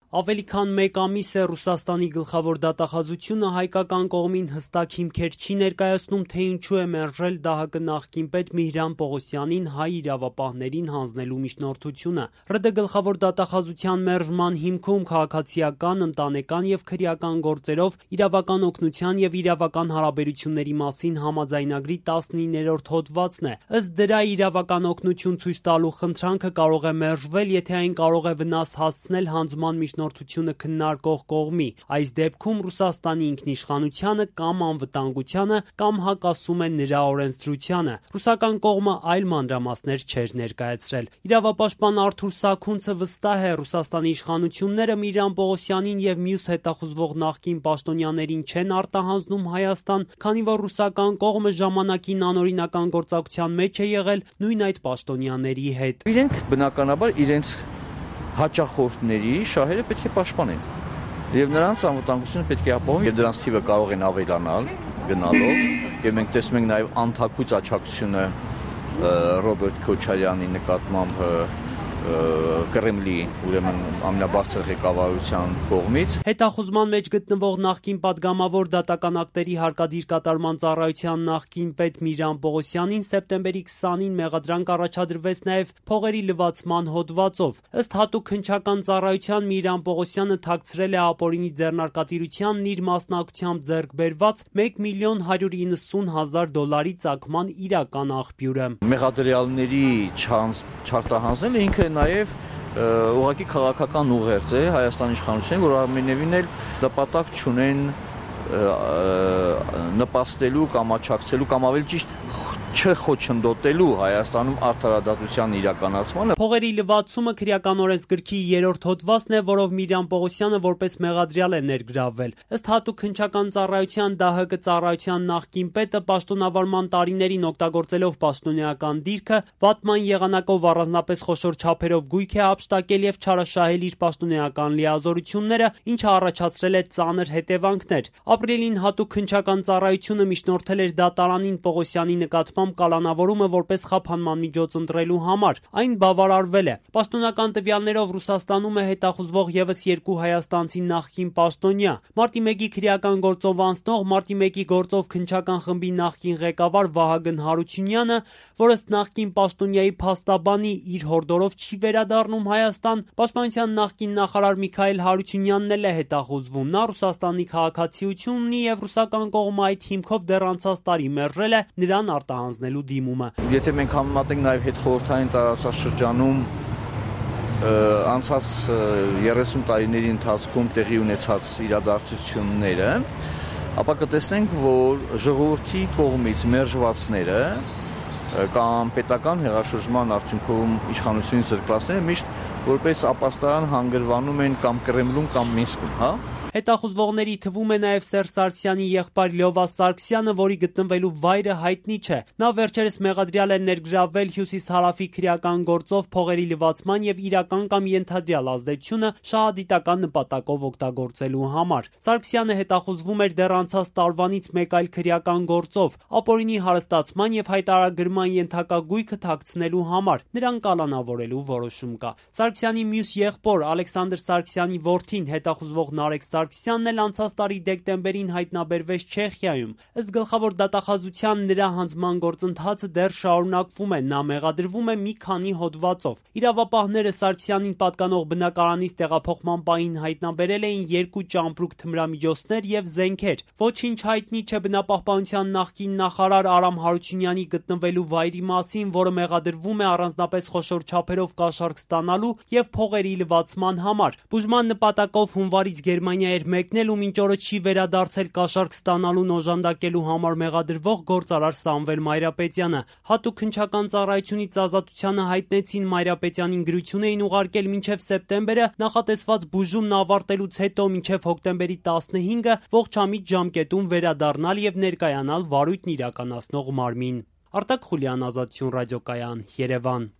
Ավելի քան մեկ ամիս է Ռուսաստանի գլխավոր դատախազությունը հայկական կողմին հստակ հիմքեր չի ներկայացնում, թե ինչու է մերժել ԴՀԿ նախկին պետ Միհրան Պողոսյանին հայ իրավապահներին հանձնելու միջնորդությունը։ ՌԴ գլխավոր դատախազության մերժման հիմքում քաղաքացիական, ընտանեկան եւ քրեական գործերով իրավական օգնության եւ իրավական հարաբերությունների մասին համաձայնագրի 19-րդ հոդվածն է։ Ըստ դրա իրավական օգնություն ցույց տալու խնդրանքը կարող է մերժվել, եթե այն կարող է վնաս հասցնել հանձնման միջնորդությունը քննարկող կողմի, այս դեպքում Ռուսաստանի ինքնիշխանությանը կամ անվտանգությանը կամ հակասում է նրա օրենսդրությանը։ Ռուսական կողմը այլ մանրամասներ չէր ներկայացրել։ Իրավապաշտպան Արթուր Սաքունցը վստահ է, Ռուսաստանի իշխանությունները Միհրան Պողոսյանին եւ մյուս հետախուզվող նախկին պաշտոնյաներին չեն արտահանձնում Հայաստան, քանի որ ռուսական կողմը ժամանակին անօրինական գործակցության մեջ է եղել նույն այդ պաշտոնյաների հետ։ Իրենք բնականաբար իրենց հաճախորդների շահերը պետք է պաշտպանեն եւ նրանց անվտանգությունը պետք է ապահովում եւ դրանց թիվը կարող են ավելանալ գնալով եւ մենք տեսնում ենք նաեւ անթակույց աջակցությունը Ռոբերտ Քոչարյանի նկատմամբ Կրեմլի, ուրեմն ամենաբարձր ղեկավարության կողմից։ Հետախուզման մեջ գտնվող նախկին պատգամավոր դատական ակտերի հարկադիր կատարման ծառայության նախկին պետ Միհրան Պողոսյանին սեպտեմբերի 20-ին մեղադրանք առաջադրվեց նաև փողերի լվացման հոդվածով։ Ըստ հատուկ քննչական ծառայության Միհրան Պողոսյանը թաքցրել է ապօրինի ձեռնարկատիրությանն իր մասնակցությամբ ձեռք բերված $1,190,000 ծագման իրական աղբյուրը։ Մեղադրյալների չարտահանձնելը ինքը նաև ուղղակի քաղաքական ուղերձ է Հայաստանի իշխանություններին, որ ամենևին էլ նպատակ չունեն նպաստելու կամ աջակցելու կամ ավելի ճիշտ չխոչընդոտելու Հայաստանում արդարադատության իրականացմանը։ Փողերի լվացումը քրեական օրենսգրքի 3-րդ հոդվածն է, որով Միհրան Պողոսյանը որպես մեղադրյալ է ներգրավվել։ Ըստ հատուկ քննչական ծառայության ԴՀԿ ծառայության նախկին պետը պաշտոնավարման տարիներին օգտագործելով պաշտոնեական դիրքը վատման եղանակով առանձնապես խոշոր չափերով գույք է հափշտակել եւ չարաշահել իր պաշտոնեական լիազորությունները, ինչը առաջացրել է ծանր հետևանքներ։ Ապրիլին հատուկ քննչական ծառայությունը միջնորդել էր դատարանին Պողոսյանի նկատմամբ կալանավորումը որպես խափանման միջոց ընտրելու համար։ Այն բավարարվել է։ Պաշտոնական տվյալներով Ռուսաստանում է հետախուզվող եւս 2 հայաստանցի նախկին պաշտոնյա։ Մարտի 1-ի քրեական գործով անցնող, Մարտի 1-ի գործով քննչական խմբի նախկին ղեկավար Վահագն Հարությունյանը, որ ըստ նախկին պաշտոնյայի փաստաբանի իր հորդորով չի վերադառնում Հայաստան, Պաշտպանության նախկին նախարար Միքայել Հարությունյանն էլ է հետախուզվում։ Նա Ռուսաստանի քաղաքացիություն ունի եւ ռուսական կողմը այդ հիմքով դեռ անցած տարի մերժել է նրան արտահանձնելու դիմումը։ Եթե մենք համեմատենք նաև հետխորհրդային տարածաշրջանում անցած 30 տարիների ընթացքում տեղի ունեցած իրադարձությունները, ապա կտեսնենք, որ ժողովրդի կողմից մերժվածները կամ պետական հեղաշրջման արդյունքում իշխանությունից զրկվածները միշտ որպես ապաստարան հանգրվանում են կամ Կրեմլում կամ Մինսկում, հա։ Հետախուզվողների թվում է նաև Սերժ Սարգսյանի եղբայր Լյովա Սարգսյանը, որի գտնվելու վայրը հայտնի չէ։ Նա վերջերս մեղադրյալ է ներգրավվել հյուսիս-հարավի քրեական գործով փողերի լվացման եւ իրական կամ ենթադրյալ ազդեցությունը շահադիտական նպատակով օգտագործելու համար։ Սարգսյանը հետախուզվում էր դեռ անցած տարվանից մեկ այլ քրեական գործով՝ ապօրինի հարստացման եւ հայտարարագրման ենթակա գույքը թաքցնելու համար։ Նրան կալանավորելու որոշում կա։ Սարգսյանի մյուս եղբոր Ալեքսանդր Սարգսյանի որդին հետախուզվող Նարեկ Սարգսյանն էլ անցած տարի դեկտեմբերին հայտնաբերվեց Չեխիայում։ Ըստ գլխավոր դատախազության նրա հանձնման գործընթացը դեռ շարունակվում է, նա մեղադրվում է մի քանի հոդվածով։ Իրավապահները Սարգսյանին պատկանող բնակարանից տեղափոխման պահին հայտնաբերել էին 2 ճամպրուկ թմրամիջոցներ եւ զենքեր։ Ոչինչ հայտնի չէ բնապահպանության նախկին նախարար Արամ Հարությունյանի գտնվելու վայրի մասին, որը մեղադրվում է առանձնապես խոշոր չափերով կաշառք ստանալու եւ փողերի լվացման համար։ Բուժման նպատակով հունվարից Գերմանիա էր մեկնել ու մինչ օրը չի վերադարձել կաշառք ստանալուն օժանդակելու համար մեղադրվող գործարար Սամվել Մայրապետյանը։ Հատուկ քննչական ծառայությունից ազատությանը հայտնեցին Մայրապետյանին գրություն էին ուղարկել մինչև սեպտեմբերը նախատեսված բուժումն ավարտելուց հետո մինչև հոկտեմբերի 15-ը ողջամիտ ժամկետում վերադառնալ եւ ներկայանալ վարույթն իրականացնող մարմին։ Արտակ Խուլյան, Ազատություն ռադիոկայան, Երևան։